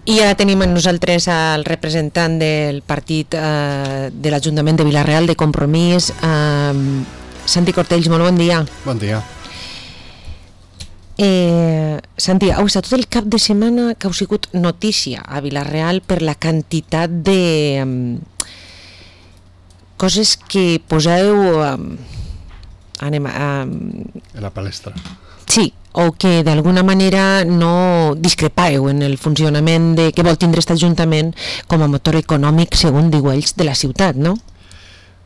I ara tenim amb nosaltres el representant del partit de l'Ajuntament de Vila-real de Compromís, Santi Cortells. Molt bon dia. Bon dia. Santi, heu estat tot el cap de setmana que heu sigut notícia a Vila-real per la quantitat de coses que poseu a la palestra. Sí, o que d'alguna manera no discrepàveu en el funcionament que vol tindre aquest Ajuntament com a motor econòmic, segons diu ells, de la ciutat, no?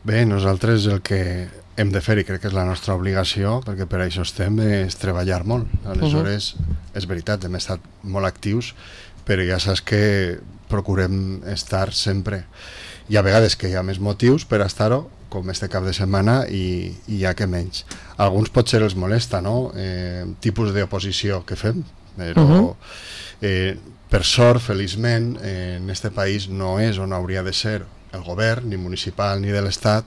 Bé, nosaltres el que hem de fer, i crec que és la nostra obligació, perquè per això estem, és treballar molt. Aleshores, és veritat, hem estat molt actius, però ja saps que procurem estar sempre. Hi ha vegades que hi ha més motius per estar-ho, com este cap de setmana, i hi ha que menys. Alguns potser els molesta, no?, tipus d'oposició que fem, però per sort, feliçment, en este país no és on hauria de ser el govern, ni municipal ni de l'Estat,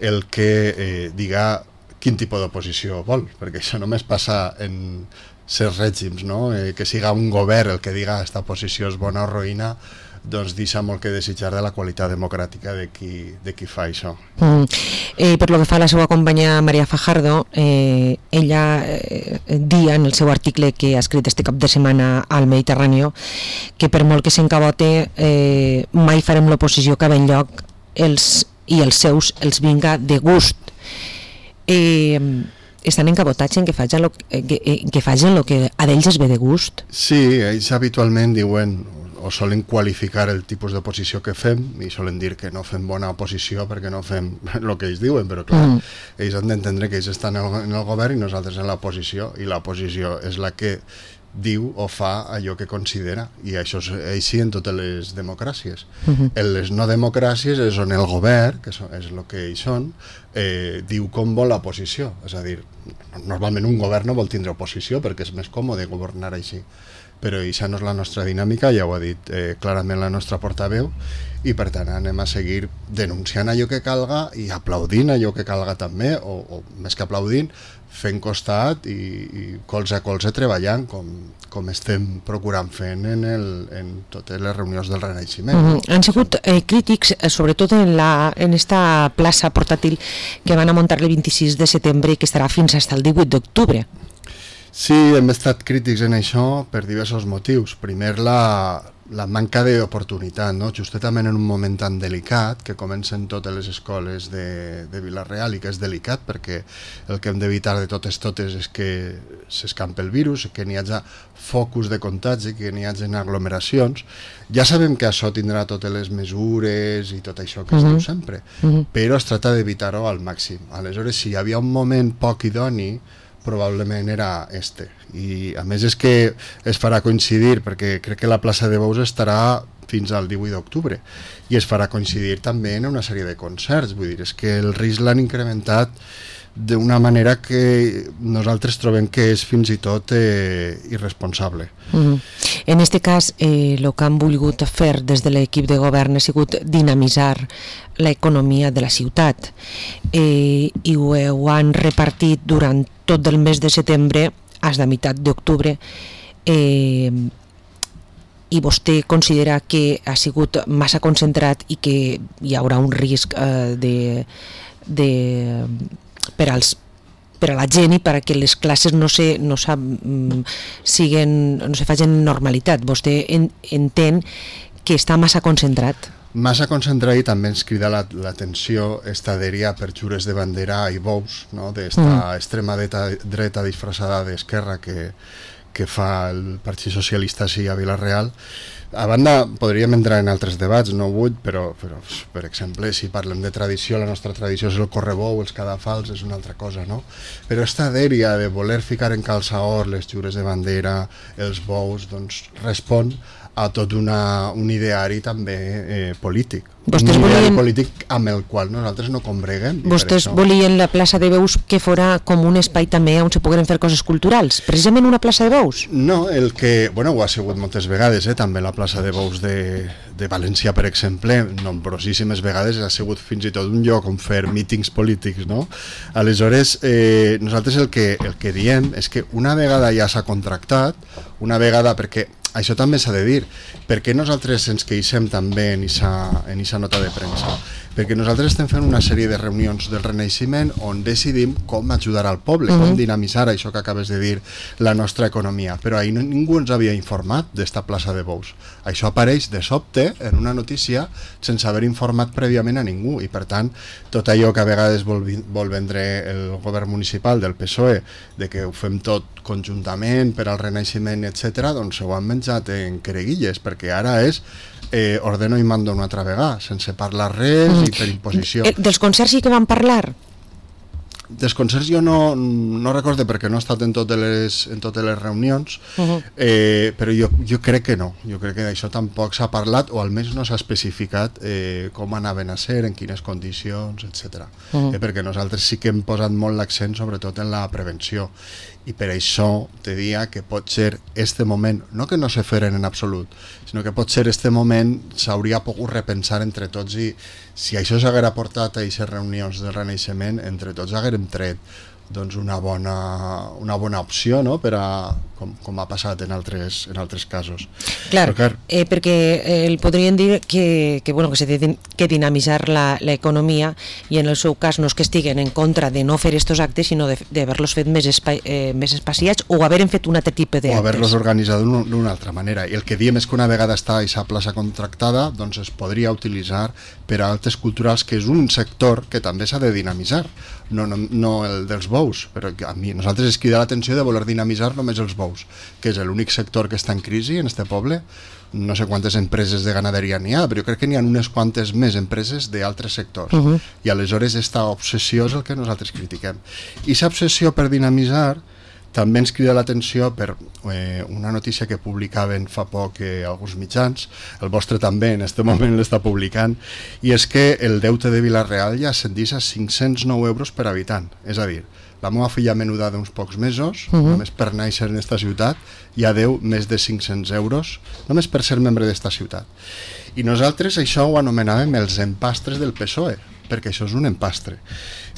el que diga quin tipus d'oposició vol, perquè això només passa en certs règims, no?, que siga un govern el que diga esta oposició és bona o roïna, doncs deixa molt que desitjar de la qualitat democràtica de qui fa això. Per lo que fa a la seva companya Maria Fajardo, ella dia en el seu article que ha escrit este cap de setmana al Mediterrani que per molt que s'encabote mai farem l'oposició que ve enlloc i els seus els vinga de gust. Estan encabotats en que facin el que a d'ells es ve de gust? Sí, ells habitualment diuen o solen qualificar el tipus d'oposició que fem i solen dir que no fem bona oposició perquè no fem el que ells diuen, però clar, ells han d'entendre que ells estan en el govern i nosaltres en l'oposició, i l'oposició és la que diu o fa allò que considera, i això és així en totes les democràcies. En les no democràcies és on el govern, que és el que ells són, diu com vol l'oposició, és a dir, normalment un govern no vol tindre oposició perquè és més còmode governar així, però això no és la nostra dinàmica, ja ho ha dit clarament la nostra portaveu, i per tant anem a seguir denunciant allò que calga i aplaudint allò que calga també, o més que aplaudint, fent costat i colze a colze treballant com estem procurant fent en totes les reunions del Renaixement. Han sigut crítics, sobretot en esta plaça portàtil que van a muntar el 26 de setembre i que estarà fins al 18 d'octubre. Sí, hem estat crítics en això per diversos motius. Primer, la manca d'oportunitat, no? Justament en un moment tan delicat que comencen totes les escoles de Vila-real, i que és delicat perquè el que hem d'evitar de totes és que s'escampi el virus, que n'hi hagi focus de contagi, que n'hi hagi aglomeracions. Ja sabem que això tindrà totes les mesures i tot això que es diu sempre, però es tracta d'evitar-ho al màxim. Aleshores, si hi havia un moment poc idoni, probablement era este, i a més és que es farà coincidir, perquè crec que la plaça de Bous estarà fins al 18 d'octubre, i es farà coincidir també en una sèrie de concerts, vull dir, és que el risc l'han incrementat d'una manera que nosaltres trobem que és fins i tot irresponsable. En aquest cas, el que han volgut fer des de l'equip de govern ha sigut dinamitzar l'economia de la ciutat, i ho han repartit durant tot el mes de setembre fins a meitat d'octubre, i vostè considera que ha sigut massa concentrat i que hi haurà un risc per a la gent i perquè les classes no se facin normalitat. Vostè entén que està massa concentrat? Massa concentrat, i també ens crida l'atenció esta dèria per xures de bandera i bous, no?, d'esta extrema dreta disfressada d'esquerra que fa el Partit Socialista així a Vila-real. A banda, podríem entrar en altres debats, no vull, però per exemple, si parlem de tradició, la nostra tradició és el correbou, els cadafals, és una altra cosa, no? Però esta dèria de voler ficar en calçaor les xures de bandera, els bous, doncs respon a tot un ideari també polític. Vostès un ideari volien... polític amb el qual nosaltres no combreguem. Vostès volien la plaça de Veus que fora com un espai també on se pogueren fer coses culturals, precisament una plaça de Veus? No, el que, bueno, ho ha sigut moltes vegades, també la plaça de Veus de València, per exemple, nombrosíssimes vegades ha sigut fins i tot un lloc on fer mítings polítics, no? Aleshores, nosaltres el que diem és que una vegada ja s'ha contractat, una vegada perquè això també s'ha de dir. Per què nosaltres ens queixem també en aquesta nota de premsa? Perquè nosaltres estem fent una sèrie de reunions del Renaixement on decidim com ajudar al poble, com dinamitzar això que acabes de dir, la nostra economia. Però ahir ningú ens havia informat d'esta plaça de bous. Això apareix de sobte en una notícia sense haver informat prèviament a ningú, i per tant tot allò que a vegades vol vendre el govern municipal del PSOE, de que ho fem tot conjuntament per al Renaixement, etc., doncs ho han menjat en quereguilles, perquè ara és ordeno i mando una altra vegada, sense parlar res i per imposició. Dels concerts sí que van parlar? Dels concerts jo no recordo perquè no he estat en totes les reunions, però jo crec que no. Jo crec que d'això tampoc s'ha parlat, o almenys no s'ha especificat com anaven a ser, en quines condicions, etc. Perquè nosaltres sí que hem posat molt l'accent sobretot en la prevenció, i per això te dia que pot ser este moment, no que no se feren en absolut, sinó que pot ser este moment s'hauria pogut repensar entre tots, i si això s'haguera portat a aquestes reunions del Renaixement, entre tots haguérem tret doncs una bona opció, no? Per a, com ha passat en altres casos. Clar, perquè el podrien dir que s'ha de dinamitzar l'economia, i en el seu cas no és que estiguen en contra de no fer aquests actes, sinó d'haver-los fet més espaciats, o haver-en fet un altre tipus d'actes. O haver-los organitzat d'una altra manera. I el que diem és que una vegada està a aquesta plaça contractada, doncs es podria utilitzar per a actes culturals, que és un sector que també s'ha de dinamitzar, no el dels bous, però a nosaltres es crida l'atenció de voler dinamitzar només els bous, que és l'únic sector que està en crisi en este poble. No sé quantes empreses de ganaderia n'hi ha, però jo crec que n'hi ha unes quantes més empreses d'altres sectors, i aleshores esta obsessió és el que nosaltres critiquem. I aquesta obsessió per dinamitzar també ens crida l'atenció per una notícia que publicaven fa poc alguns mitjans, el vostre també en aquest moment l'està publicant, i és que el deute de Vila-real ja ascendís a 509 euros per habitant. És a dir, la meva filla menuda d'uns pocs mesos, només per néixer en esta ciutat, ja deu més de 500 euros, només per ser membre d'esta ciutat. I nosaltres això ho anomenàvem els empastres del PSOE, perquè això és un empastre.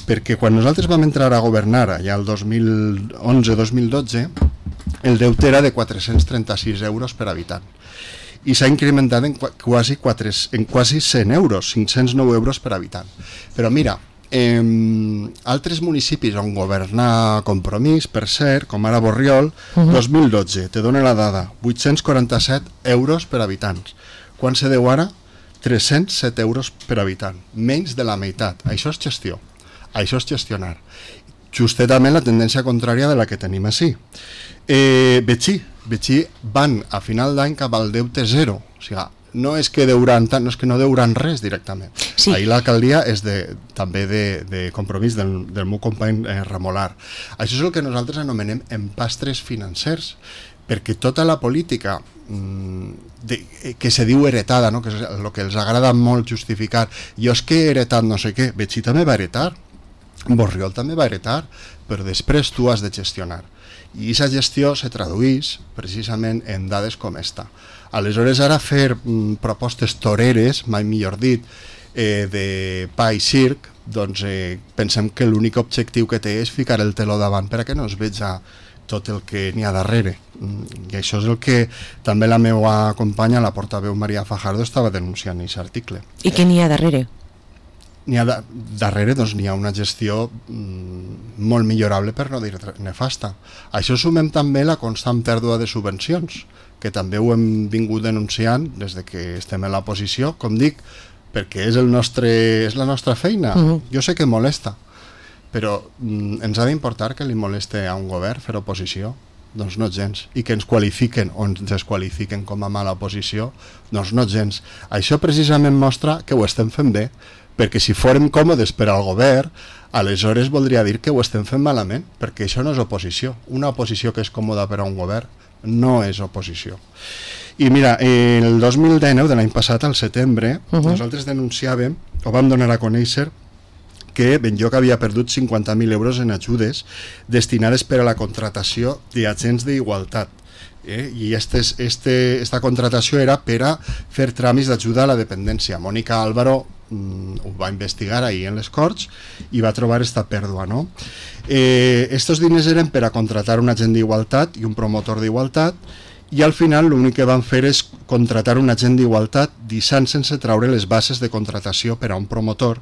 Perquè quan nosaltres vam entrar a governar, ja el 2011-2012, el deute era de 436 euros per habitant. I s'ha incrementat en quasi 100 euros, 509 euros per habitant. Però mira, altres municipis on governa Compromís, per cert, com ara Borriol, 2012, te dono la dada, 847 euros per habitants. Quan se deu ara? 307 euros per habitant, menys de la meitat. Això és gestió, això és gestionar. Justament la tendència contrària de la que tenim així. Betxí van a final d'any cap al deute zero, o sigui, no és que deuran tant, no és que no deuran res directament. Sí. Ahir l'alcaldia és també de Compromís del meu company Remolar. Això és el que nosaltres anomenem empastres financers, perquè tota la política que se diu heretada, no? Que és el que els agrada molt justificar, jo és que he heretat no sé què, Betxí també va heretar, Borriol també va heretar, però després tu has de gestionar. I aquesta gestió se tradueix precisament en dades com esta. Aleshores, ara fer propostes toreres, mai millor dit, de pa i circ, doncs pensem que l'únic objectiu que té és ficar el teló davant per a que no es veja tot el que n'hi ha darrere. I això és el que també la meva companya, la portaveu Maria Fajardo, estava denunciant en aquest article. I què n'hi ha darrere? Darrere doncs, n'hi ha una gestió molt millorable, per no dir nefasta. A això sumem també la constant pèrdua de subvencions, que també ho hem vingut denunciant des de que estem en l'oposició, com dic, perquè és la nostra feina. Jo sé que molesta, però ens ha d'importar que li moleste a un govern fer oposició? Doncs no gens. I que ens qualifiquen o ens desqualifiquen com a mala oposició? Doncs no gens. Això precisament mostra que ho estem fent bé, perquè si fórem còmodes per al govern, aleshores voldria dir que ho estem fent malament, perquè això no és oposició. Una oposició que és còmoda per a un govern no és oposició. I mira, el 2019, de l'any passat, al setembre, nosaltres denunciàvem, o vam donar a conèixer, que Benlloc havia perdut 50.000 euros en ajudes destinades per a la contratació d'agents d'igualtat. I esta contratació era per a fer tràmits d'ajuda a la dependència. Mònica Álvaro ho va investigar ahir en les Corts i va trobar esta pèrdua, no? Estos diners eren per a contratar un agent d'igualtat i un promotor d'igualtat, i al final l'únic que van fer és contratar un agent d'igualtat deixant sense treure les bases de contratació per a un promotor,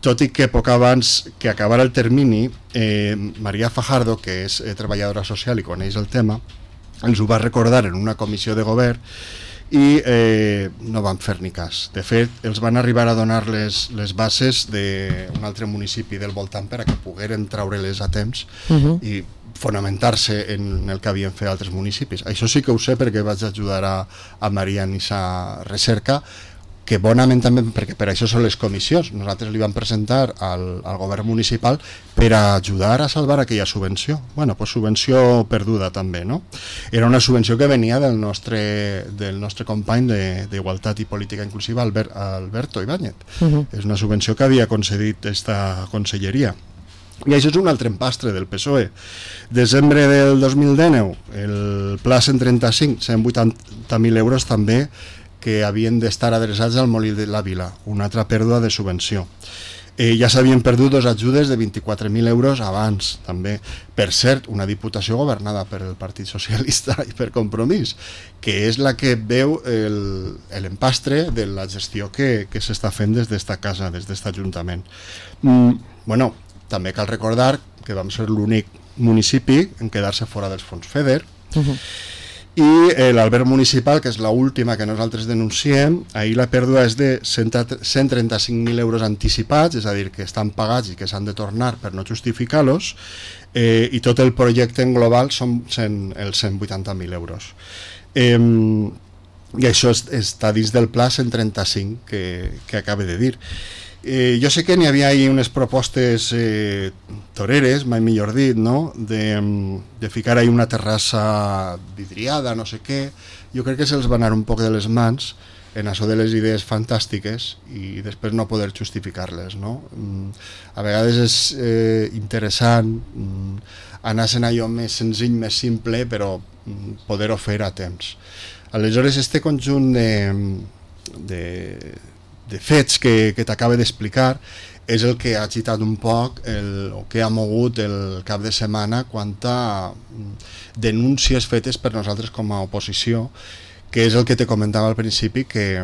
tot i que poc abans que acabara el termini, Maria Fajardo, que és treballadora social i coneix el tema, ens ho va recordar en una comissió de govern i no van fer ni cas. De fet, els van arribar a donar les bases d'un altre municipi del voltant per a que pogueren treure-les a temps i fonamentar-se en el que havien fet altres municipis. Això sí que ho sé perquè vaig ajudar a Maria en aquesta recerca, que bonament també, perquè per això són les comissions. Nosaltres li vam presentar al govern municipal per a ajudar a salvar aquella subvenció. Bueno, pues subvenció perduda també, no? Era una subvenció que venia del nostre company d'Igualtat i Política Inclusiva, Alberto Ibáñez. És una subvenció que havia concedit esta conselleria. I això és un altre empastre del PSOE. Desembre del 2019, el Pla 135, 180.000 euros també, que havien d'estar adreçats al Molí de la Vila, una altra pèrdua de subvenció. Ja s'havien perdut dos ajudes de 24.000 euros abans, també. Per cert, una diputació governada per el Partit Socialista i per Compromís, que és la que veu l'empastre de la gestió que s'està fent des d'esta casa, des d'est Ajuntament. Bueno, també cal recordar que vam ser l'únic municipi en quedar-se fora dels fons FEDER, i l'alberg municipal, que és l'última que nosaltres denunciem, ahir la pèrdua és de 135.000 euros anticipats, és a dir, que estan pagats i que s'han de tornar per no justificar-los, i tot el projecte en global són els 180.000 euros. I això està dins del pla 135 que acabo de dir. Jo sé que n'hi havia ahí unes propostes toreres, mai millor dit, no? De ficar ahí una terrassa vidriada, no sé què. Jo crec que se'ls va anar un poc de les mans en això de les idees fantàstiques i després no poder justificar-les, no? A vegades és interessant anar-se'n allò més senzill, més simple, però poder-ho fer a temps. Aleshores, este conjunt de fets que t'acaba d'explicar és el que ha agitat un poc o que ha mogut el cap de setmana quant a denúncies fetes per nosaltres com a oposició, que és el que te comentava al principi, que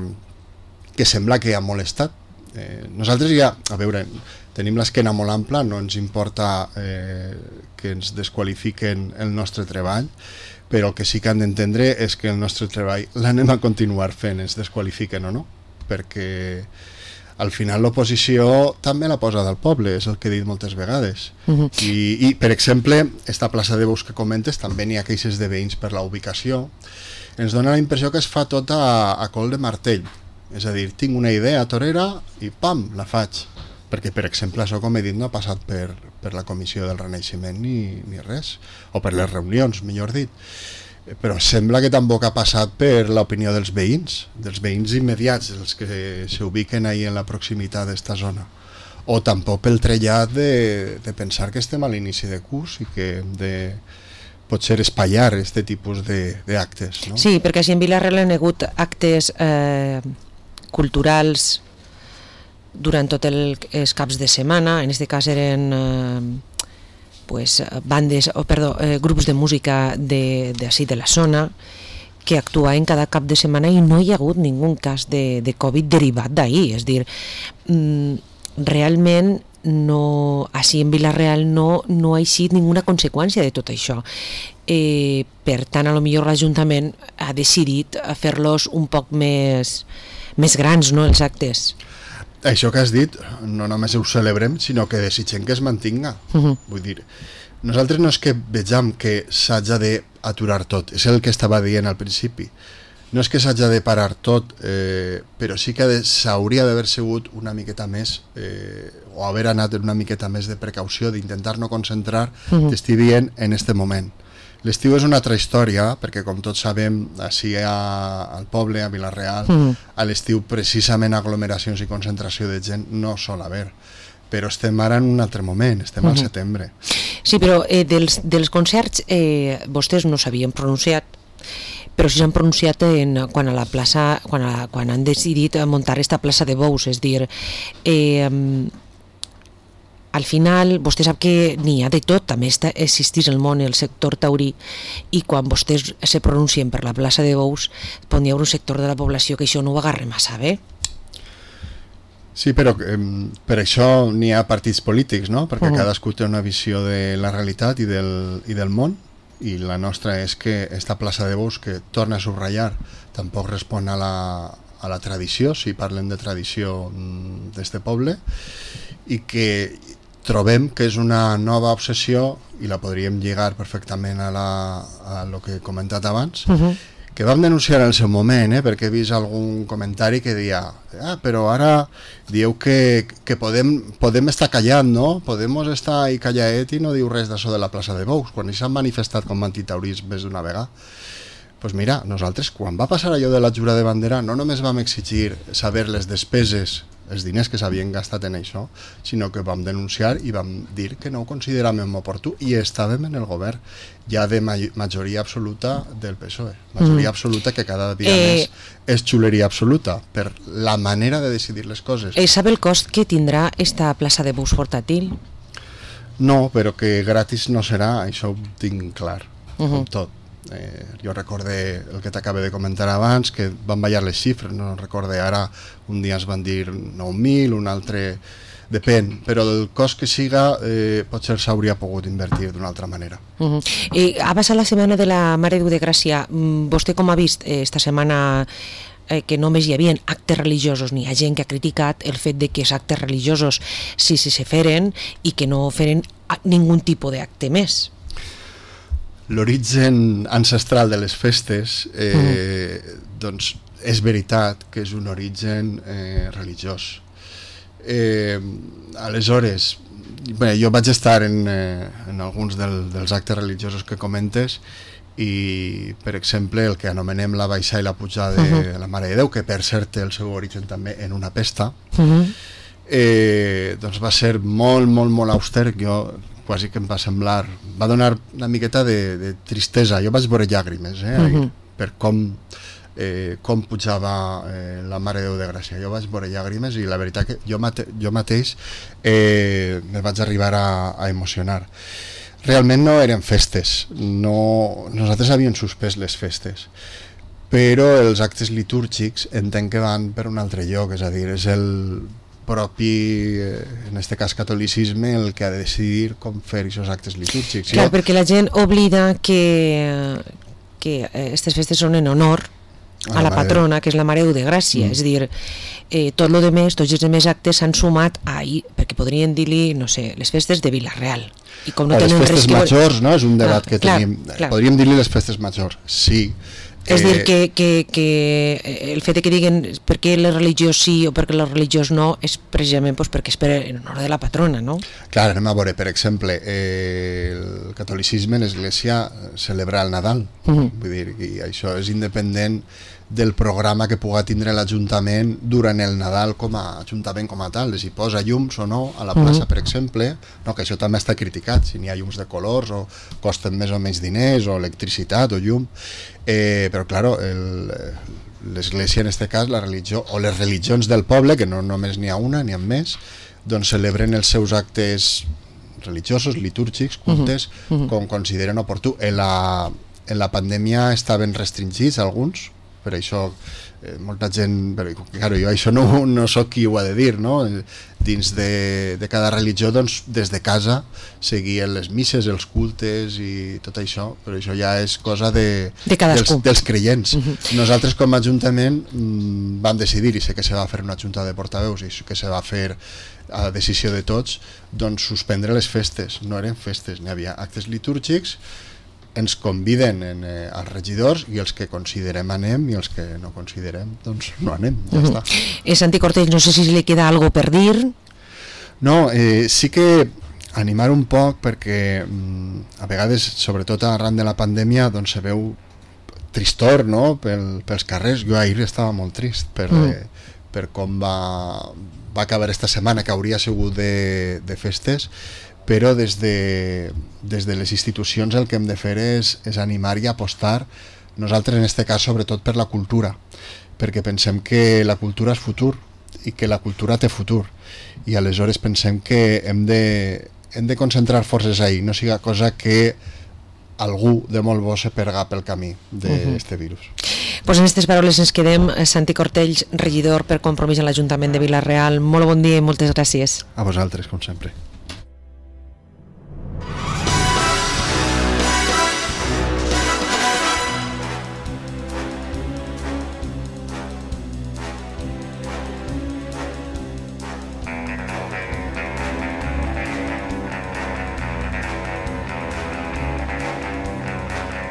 sembla que ha molestat. Nosaltres ja, a veure, tenim l'esquena molt ampla, no ens importa que ens desqualifiquen el nostre treball, però el que sí que han d'entendre és que el nostre treball l'anem a continuar fent, ens desqualifiquen o no, perquè al final l'oposició també la posa del poble, és el que he dit moltes vegades. I per exemple, esta plaça de Bous que comentes, també n'hi ha queixes de veïns per la ubicació. Ens dona la impressió que es fa tot a col de martell, és a dir, tinc una idea torera i pam, la faig, perquè per exemple això, com he dit, no ha passat per la comissió del Renaixement ni res, o per les reunions, millor dit. Però sembla que tampoc ha passat per l'opinió dels veïns immediats, els que s'ubiquen ahí en la proximitat d'esta zona, o tampoc pel trellat de pensar que estem a l'inici de curs i que hem de potser espatllar aquest tipus d'actes, no? Sí, perquè si en Vila-real han hagut actes culturals durant tots els caps de setmana, en aquest cas eren grups de música d'ací de la zona que actuaven cada cap de setmana i no hi ha hagut ningú cas de Covid derivat d'ahir, és a dir, realment així en Vila-real no ha eixit ninguna conseqüència de tot això. Per tant, a lo millor l'Ajuntament ha decidit fer-los un poc més grans, no, els actes. Això que has dit, no només ho celebrem, sinó que desitgem que es mantinga. Vull dir, nosaltres no és que vegem que s'haja d'aturar tot, és el que estava dient al principi. No és que s'haja de parar tot, però sí que s'hauria d'haver sigut una miqueta més, o haver anat una miqueta més de precaució, d'intentar no concentrar, t'estic dient, en este moment. L'estiu és una altra història, perquè com tots sabem, així al poble, a Vila-real, a l'estiu precisament aglomeracions i concentració de gent no sol haver. Però estem ara en un altre moment, estem al setembre. Sí, però dels concerts vostès no s'havien pronunciat, però sí s'han pronunciat quan a la plaça, quan han decidit muntar esta plaça de Bous, és dir, al final vostè sap que n'hi ha de tot, també existeix el món, el sector taurí, i quan vostès se pronuncien per la plaça de Bous pot hi haver un sector de la població que això no ho agarra massa bé. Sí, però per això n'hi ha partits polítics, no? Perquè cadascú té una visió de la realitat i del món, i la nostra és que esta plaça de Bous, que torna a subratllar, tampoc respon a la tradició, si parlem de tradició d'este poble, i que trobem que és una nova obsessió, i la podríem lligar perfectament a lo que he comentat abans, que vam denunciar en el seu moment, perquè he vist algun comentari que deia però ara dieu que podem estar callant, no? Podemos estar ahí callaet i no diu res d'això de la plaça de Bous, quan s'han manifestat com antitauris més d'una vegada. Doncs mira, nosaltres quan va passar allò de la jura de bandera no només vam exigir saber les despeses, els diners que s'havien gastat en això, sinó que vam denunciar i vam dir que no ho consideràvem oportú, i estàvem en el govern ja de majoria absoluta del PSOE, majoria absoluta que cada dia més és xuleria absoluta per la manera de decidir les coses. Sap el cost que tindrà esta plaça de Bous portàtil? No, però que gratis no serà, això ho tinc clar, com tot. Jo recorde el que t'acabo de comentar abans, que van ballar les xifres, no recorde ara, un dia es van dir 9.000, un altre depèn, però el cost que siga potser s'hauria pogut invertir d'una altra manera. Ha passat la setmana de la Mare de Déu de Gràcia. Vostè com ha vist esta setmana que només hi havia actes religiosos? N'hi ha gent que ha criticat el fet de que els actes religiosos sí se feren i que no feren ningun tipus d'acte més. L'origen ancestral de les festes doncs és veritat que és un origen religiós. Aleshores, jo vaig estar en alguns dels actes religiosos que comentes, i per exemple el que anomenem la baixada i la pujada de la Mare de Déu, que per cert té el seu origen també en una pesta, doncs va ser molt, molt, molt auster. Jo quasi que em va semblar, va donar una miqueta de tristesa. Jo vaig veure llàgrimes per com pujava la Mare de Déu de Gràcia. Jo vaig veure llàgrimes i la veritat que jo mateix me vaig arribar a emocionar. Realment no eren festes, nosaltres havíem suspès les festes, però els actes litúrgics entenc que van per un altre lloc, és a dir, és el propi, en aquest cas catolicisme, el que ha de decidir com fer aquests actes litúrgics. Clar, perquè la gent oblida que aquestes festes són en honor a la patrona, que és la Mare de Déu de Gràcia. És a dir, tots els demés actes s'han sumat ahir, perquè podrien dir-li, no sé, les festes de Vila-real. I com no o les tenen festes majors, no? És un debat que tenim. Clar. Podríem dir-li les festes majors, sí. És dir, que el fet que diguen per què la religió sí o per què la religió no és precisament perquè és en honor de la patrona, no? Clar, anem a veure, per exemple, el catolicisme, l'Església celebra el Nadal, vull dir, i això és independent del programa que pugui tindre l'Ajuntament durant el Nadal com a Ajuntament com a tal, si posa llums o no a la plaça, per exemple, no, que això també està criticat, si n'hi ha llums de colors o costen més o menys diners o electricitat o llum, però clar, l'Església en aquest cas, la religió o les religions del poble, que no només n'hi ha una, n'hi ha més, doncs celebren els seus actes religiosos, litúrgics, cultes, com consideren oportú. En la pandèmia estaven restringits alguns, per això molta gent, però jo això no soc qui ho ha de dir, no? Dins de cada religió, doncs des de casa seguien les misses, els cultes i tot això, però això ja és cosa dels creients. Nosaltres com a Ajuntament vam decidir, i sé que se va fer una junta de portaveus i que se va fer a decisió de tots, doncs suspendre les festes. No eren festes, n'hi havia actes litúrgics, ens conviden als regidors i els que considerem anem i els que no considerem doncs no anem, ja està. Santi Cortés, no sé si li queda algo per dir. No, sí que animar un poc perquè a vegades, sobretot arran de la pandèmia, doncs se veu tristor, no?, pels carrers. Jo ahir estava molt trist per com va acabar esta setmana, que hauria sigut de festes, però des de les institucions el que hem de fer és animar i apostar, nosaltres en aquest cas sobretot per la cultura, perquè pensem que la cultura és futur, i que la cultura té futur, i aleshores pensem que hem de concentrar forces ahí, no siga cosa que algú de molt bo se perga pel camí d'aquest virus. Pues en aquestes paraules ens quedem. Santi Cortells, regidor per Compromís a l'Ajuntament de Vila-real, molt bon dia i moltes gràcies. A vosaltres, com sempre.